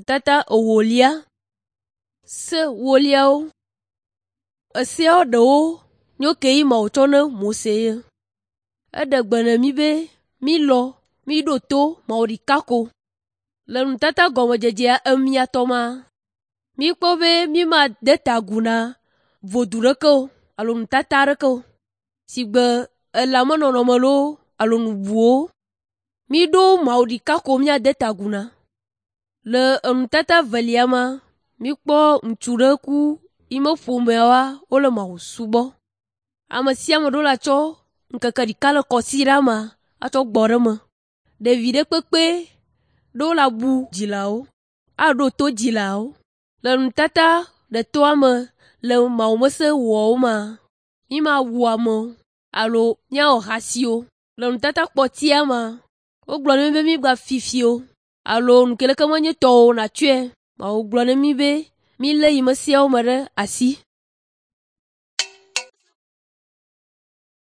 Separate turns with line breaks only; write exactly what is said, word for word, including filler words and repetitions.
Nutata ewolia. Se woliawo. Eseawo ɖewo nyo ke yi Mawu tsɔ na Mose ye. Eɖe gbe na mí be mílɔ̃ míɖo to Mawu ɖeka ko. Le nutata gɔmedzedzea emiatɔ ma, míkpɔ be mímade ta agu na vodu ɖeke o alo nutata aɖeke o, si gbe elãmenɔnɔme loo alo nu bubuwo. Míɖo Mawu ɖeka ko míade ta agu na. Le enutata evelia ma, míkpɔ ŋutsu ɖe ku yi me ƒomeawoa wole Mawu subɔ. Ame sia ame ɖo la tsɔ ŋkeke ɖeka le kɔsiɖa me atsɔ gbɔ ɖe eme. Ɖevi ɖe kpekpe ɖo la bu dzilawo, aɖo to dzilawo. Le nutata ɖetɔa me le Mawumese wɔwo mea, mímawu ame o alo míawɔ ahasi o. Le nutata kpɔtia mea, wogblɔ na mí be mígafi fi o alo nu ke leke menye tɔwò o nàtsɔe. Mawu gblɔ na mí be mílé yi me seawo me ɖe asi.